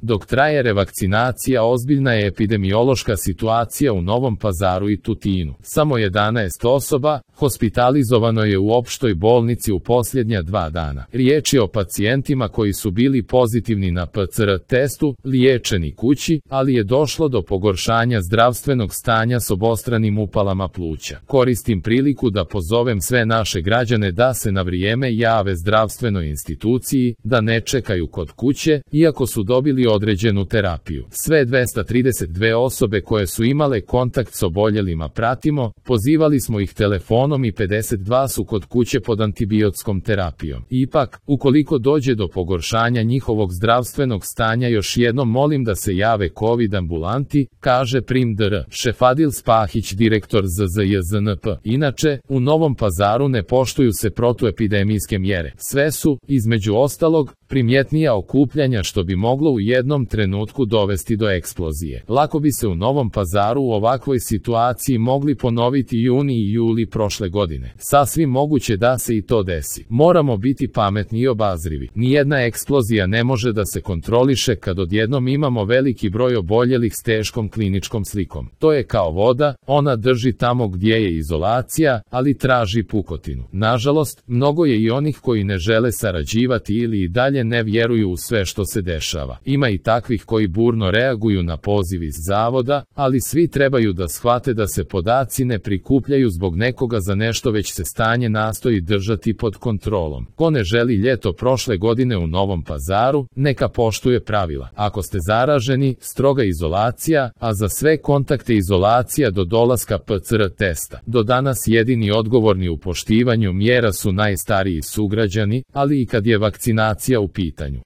Dok traje revakcinacija, ozbiljna je epidemiološka situacija u Novom Pazaru i Tutinu. Samo 11 osoba hospitalizovano je u opštoj bolnici u posljednja 2 dana. Riječ je o pacijentima koji su bili pozitivni na PCR testu, liječeni kući, ali je došlo do pogoršanja zdravstvenog stanja s obostranim upalama pluća. Koristim priliku da pozovem sve naše građane da se na vrijeme jave zdravstvenoj instituciji, da ne čekaju kod kuće, iako su dobili određenu terapiju. Sve 232 osobe koje su imale kontakt s oboljelima pratimo, pozivali smo ih telefonom i 52 su kod kuće pod antibiotskom terapijom. Ipak, ukoliko dođe do pogoršanja njihovog zdravstvenog stanja, još jednom molim da se jave COVID ambulanti, kaže prim dr. Šefadil Spahić, direktor ZZJZNP. Inače, u Novom Pazaru ne poštuju se protuepidemijske mjere. Sve su, između ostalog, primjetnija okupljanja što bi moglo u jednom trenutku dovesti do eksplozije. Lako bi se u Novom Pazaru u ovakvoj situaciji mogli ponoviti juni i juli prošle godine. Sasvim moguće da se i to desi. Moramo biti pametni i obazrivi. Nijedna eksplozija ne može da se kontroliše kad odjednom imamo veliki broj oboljelih s teškom kliničkom slikom. To je kao voda, ona drži tamo gdje je izolacija, ali traži pukotinu. Nažalost, mnogo je i onih koji ne žele sarađivati ili i dalje ne vjeruju u sve što se dešava. Ima i takvih koji burno reaguju na poziv iz zavoda, ali svi trebaju da shvate da se podaci ne prikupljaju zbog nekoga za nešto, već se stanje nastoji držati pod kontrolom. Ko ne želi ljeto prošle godine u Novom Pazaru, neka poštuje pravila. Ako ste zaraženi, stroga izolacija, a za sve kontakte izolacija do dolaska PCR testa. Do danas jedini odgovorni u poštivanju mjera su najstariji sugrađani, ali i kad je vakcinacija u pitanju.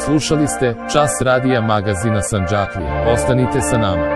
Slušali ste Čas radija magazina Sandžaklija. Ostanite sa nama.